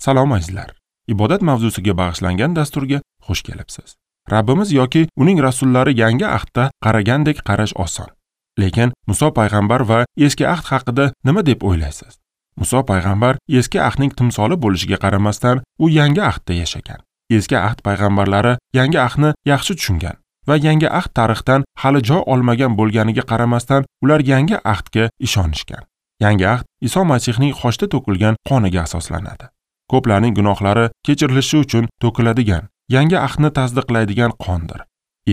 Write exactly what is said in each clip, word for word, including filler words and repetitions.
Salom azizlar. Ibodat mavzusiga bag'ishlangan dasturga xush kelibsiz. Rabbimiz yoki uning rasullari yangi ahdda qaragandek qarash oson. Lekin Muso payg'ambar va eski ahd haqida nima deb o'ylaysiz? Muso payg'ambar eski ahdning timsoli bo'lishiga qaramasdan, u yangi ahdda yashagan. Eski ahd payg'ambarlari yangi ahdni yaxshi tushungan va yangi ahd tarixdan hali joy olmagan bo'lganiga qaramasdan, ular yangi ahdga ishonishgan. Yangi ahd Iso Masihning xochda to'kilgan qoniga asoslanadi. Ko'plarning gunohlari kechirilishi uchun to'kiladigan, yangi ahdni tasdiqlaydigan qondir.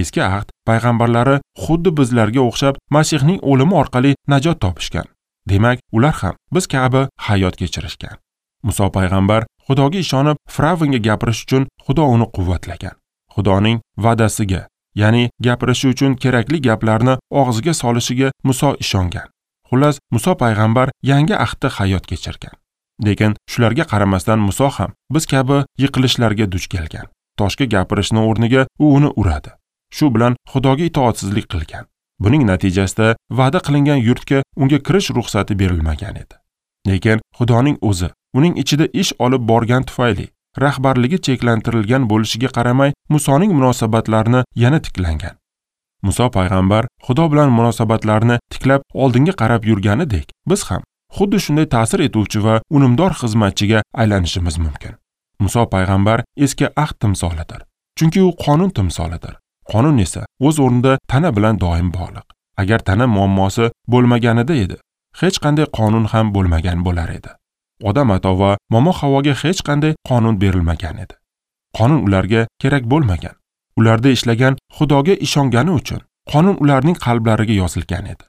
Eski ahd payg'ambarlari xuddi bizlarga o'xshab Masihning o'limi orqali najot topishgan. Demak, ular ham biz kabi hayot kechirishgan. Muso payg'ambar Xudoga ishonib, Firavnga gapirish uchun Xudo uni quvvatlagan. Xudoning va'dasiga, ya'ni gapirishi uchun kerakli gaplarni og'ziga solishiga Muso ishongan. Xullas, Muso payg'ambar yangi ahdda hayot kechirgan. Lekin shularga qaramasdan Muso ham biz kabi yiqilishlarga duch kelgan. Toshga gapirishni o'rniga u uni uradi. Shu bilan Xudoga itoatsizlik qilgan. Buning natijasida va'da qilingan yurtga unga kirish ruxsati berilmagan edi. Lekin Xudoning o'zi uning ichida ish olib borgan tufayli rahbarligi cheklantirilgan bo'lishiga qaramay Musoning munosabatlarini yana tiklangan. Muso payg'ambar Xudo bilan munosabatlarni tiklab oldinga qarab yurganidek, biz ham xuddi shunday ta'sir etuvchi va unumdor xizmatchiga aylanishimiz mumkin. Muso payg'ambar eski ahd timsolidir. Chunki u qonun timsolidir. Qonun esa o'z o'rnida tana bilan doim bog'liq. Agar tana muammosi bo'lmaganida edi, hech qanday qonun ham bo'lmagan bo'lar edi. Odam ato va momo Havoga hech qanday qonun berilmagan edi. Qonun ularga kerak bo'lmagan. Ularda ishlagan Xudoga ishongani uchun qonun ularning qalblariga yozilgan edi.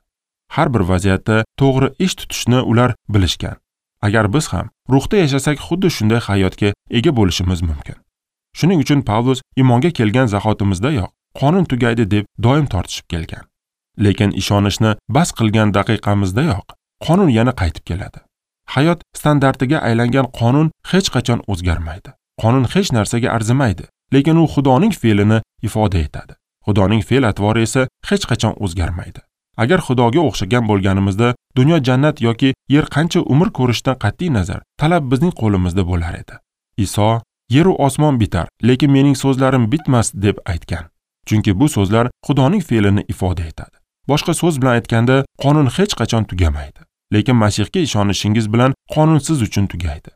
Har bir vaziyatda to'g'ri ish tutishni ular bilishgan. Agar biz ham ruhda yashasak, xuddi shunday hayotga ega bo'lishimiz mumkin. Shuning uchun Pavlus iymonga kelgan zahotimizdayoq qonun tugaydi deb doim tortishib kelgan. Lekin ishonishni bas qilgan daqiqamizdayoq qonun yana qaytib keladi. Hayot standartiga aylangan qonun hech qachon o'zgarmaydi. Qonun hech narsaga arzimaydi, lekin u Xudoning fe'lini ifoda etadi. Xudoning fe'l-atvori esa hech qachon o'zgarmaydi. Agar Xudoga o'xshagan bo'lganimizda, dunyo jannat yoki yer qancha umr ko'rishdan qat'iy nazar, talab bizning qo'limizda bo'lar edi. Iso, "Yer u osmon bitar, lekin mening so'zlarim bitmas" deb aytgan. Chunki bu so'zlar Xudoning fe'lini ifoda etadi. Boshqa so'z bilan aytganda, qonun hech qachon tugamaydi. Lekin Masihga ishonishingiz bilan qonun siz uchun tugaydi.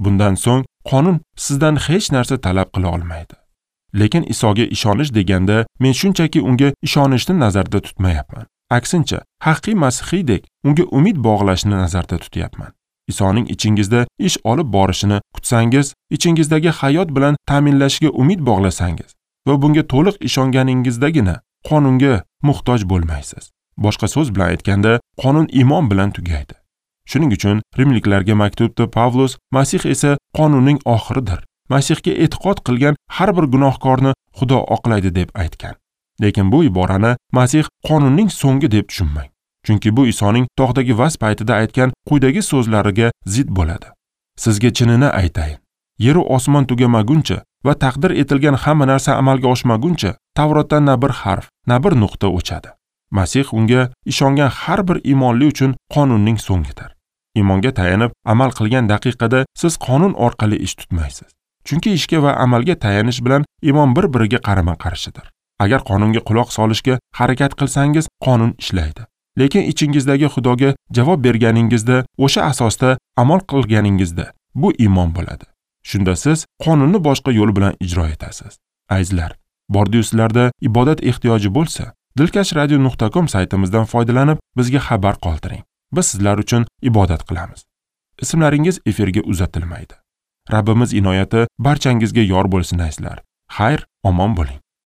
Bundan so'ng qonun sizdan hech narsa talab qila olmaydi. Lekin Isoga ishonish deganda men shunchaki unga ishonishni nazarda tutmayapman. Aksincha, haqiqiy masihiydek unga umid bog'lashni nazarda tutyapman. Isoning ichingizda ish olib borishini kutsangiz, ichingizdagi hayot bilan ta'minlashiga umid bog'lasangiz va bunga to'liq ishonganingizdagina qonunga muhtoj bo'lmaysiz. Boshqa so'z bilan aytganda, qonun iymon bilan tugaydi. Shuning uchun Rimliklarga maktubda Pavlus, Masih esa qonunning oxiridir. Masihga e'tiqod qilgan har bir gunohkorni Xudo oqlaydi deb aytgan. Lekin bu iborani Masih qonunning so'nggi deb tushunmang. Chunki bu Isoning tog'dagi vaz paytida aytgan quyidagi so'zlariga zid bo'ladi. Sizga chinini aytayin. Yer u osmon tugamaguncha va taqdir etilgan hamma narsa amalga oshmaguncha Tavrotdan na bir harf, na bir nuqta o'chadi. Masih unga ishongan har bir iymonli uchun qonunning so'ngidir. Iymonga tayanib amal qilgan daqiqada siz qonun orqali ish tutmaysiz. Chunki ishga va amalga tayanish bilan iymon bir-biriga qarama-qarshidir. Agar qonunga quloq solishga harakat qilsangiz, qonun ishlaydi. Lekin ichingizdagi Xudoga javob berganingizda, o'sha asosda amal qilganingizda bu iymon bo'ladi. Shunda siz qonunni boshqa yo'l bilan ijro etasiz. Azizlar, bordi-yu sizlarda ibodat ehtiyoji bo'lsa, dilkash radio nuqta com saytimizdan foydalanib bizga xabar qoldiring. Biz sizlar uchun ibodat qilamiz. Ismlaringiz efirga uzatilmaydi. Rabbimiz inoyati barchangizga yor bo'lsin azizlar. Xayr, omon bo'ling.